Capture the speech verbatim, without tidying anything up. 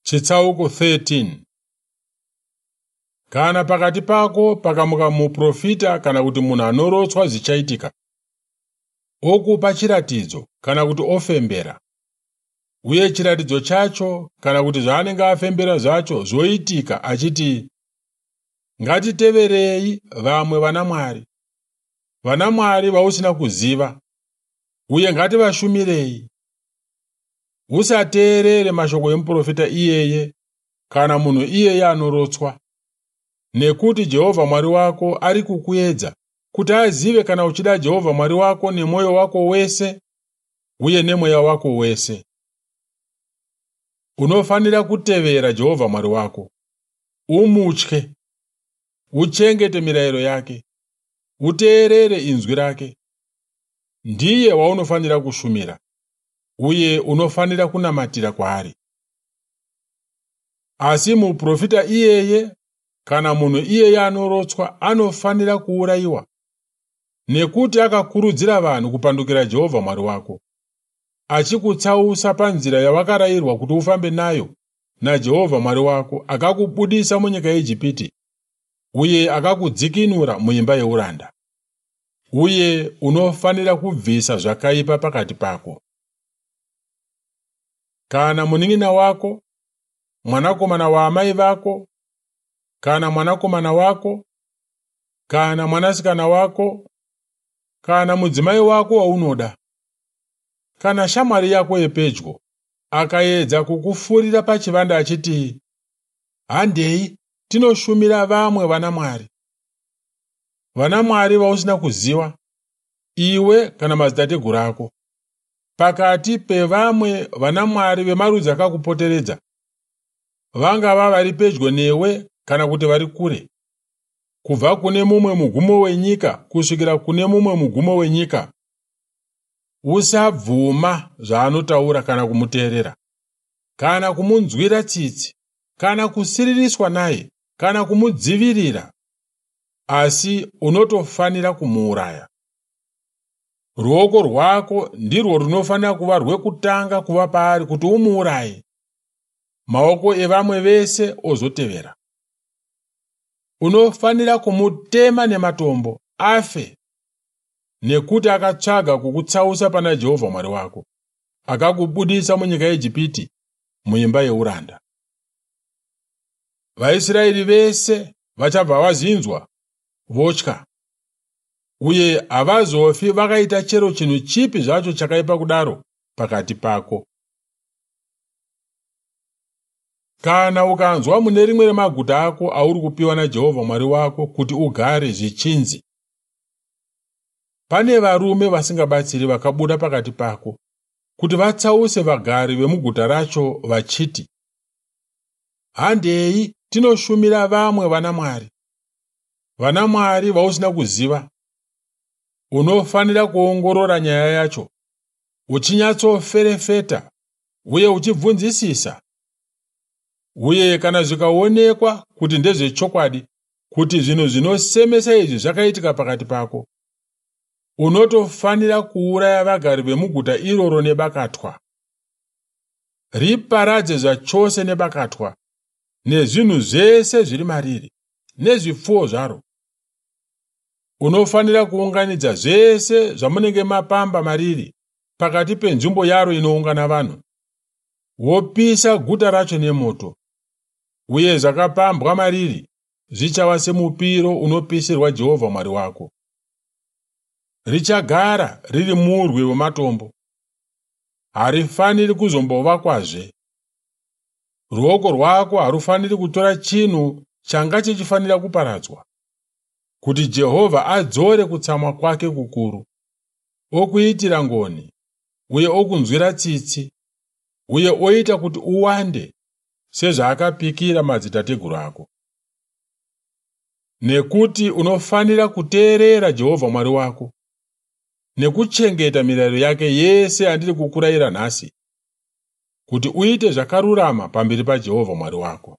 Chitsauko thirteen. Kana pakati pako pakamuka muprofita kana kuti munhu anorotswa zvichaitika, okupa chiratidzo kana kuti ofembera, uye chiratidzo chacho kana kuti zvaanenge afembera zvacho zvoitika achiti, "Ngatiteverei vamwe vanamwari, vanamwari vausina kuziva, uye ngativashumirei," usateerere mashoko emuprofita iyeye kana munhu iyeye anorotswa, nekuti Jehovha Mwari wako ari kukuedza kuti azive kana uchida Jehovha Mwari wako nemwoyo wako wese uye nemweya wako wese. Unofanira kutevera Jehovha Mwari wako, umutye, uchengete mirayiro yake, uteerere inzwi rake. Ndiye waunofanira kushumira, uye unofanira kunamatira kwaari. Asi muprofita iyeye kana munhu iyeye anorotswa anofanira kuurayiwa, nekuti akakurudzira vanhu kupandukira Jehovha Mwari wako, achikutsausa panzira yawakarayirwa kuti ufambe nayo naJehovha Mwari wako, akakubudisa munyika yeIjipiti uye akakudzikinura muimba yeuranda. Uye unofanira kubvisa zvakaipa pakati pako. Kana munin'ina wako, mwanakomana waamai vako, kana mwanakomana wako, kana mwanasikana wako, kana mudzimai wako waunoda, kana shamwari yako yepedyo akaedza kukufurira pachivande achiti, "Handei tinoshumira vamwe vanamwari," vanamwari vausina kuziva, iwe kana madzitateguru ako, pakati pevamwe vanamwari vemarudzi akakupoteredza, vangava vari pedyo newe kana kuti vari kure, kubva kune mumwe mugumo wenyika kusvikira kune mumwe mugumo wenyika, usabvuma zvaanotaura kana kumuteerera, kana kumunzwira tsitsi, kana kusiririswa naye, kana kumudzivirira, asi unotofanira kumuuraya. Ruoko rwako ndirwo runofanira kuva rwekutanga kuva paari kuti umuuraye, maoko evamwe vese ozotevera. Unofanira kumutema nematombo afe, nekuti akatsvaga kukutsausa pana Jehovha Mwari wako, akakubudisa munyika yeIjipiti, muimba yeuranda. VaIsraeri vese vachabva vazinzwa votya, uye havazofi vakaita chero chinhu chipi zvacho chakaipa kudaro pakati pako. Kana ukanzwa mune rimwe remaguta ako auri kupiwa naJehovha Mwari wako kuti ugare zvichinzi, pane varume vasingabatsiri vakabuda pakati pako kuti vatsause vagari vemuguta racho vachiti, "Handei tinoshumira vamwe vanamwari, vanamwari vausina kuziva," unofanira kuongorora nyaya yacho uchinyatsoferefeta uye uchibvunzisisa. Uye kana zvikaonekwa kuti ndezvechokwadi kuti zvinhu zvinosemesa izvi zvakaitika pakati pako, unotofanira kuuraya vagari vemuguta iroro nebakatwa. Riparadze zvachose nebakatwa, nezvinhu zvese zviri mariri, nezvipfuwo zvaro. Unofanira kuunganidza zvese zvamunenge mapamba mariri pakati penzvimbo yaro inoungana vanhu, wopisa guta racho nemoto, uye zvakapambwa mariri zvichava semupiro unopisirwa Jehovha Mwari wako. Richagara riri murwi wematombo, harifaniri kuzombovakwazve. Ruoko rwako harufaniri kutora chinhu changa chichifanira kuparadzwa, kuti Jehovha adzore kutsamwa kwake kukuru, okuitira ngoni uye okunzwira tsitsi, uye oita kuti uwande sezvaakapikira madzitateguru ako. Nekuti unofanira kuteerera Jehovha Mwari wako nekuchengeta mirayiro yake yese yandiri kukurayira nhasi, kuti uite zvakarurama pamberi paJehovha Mwari wako.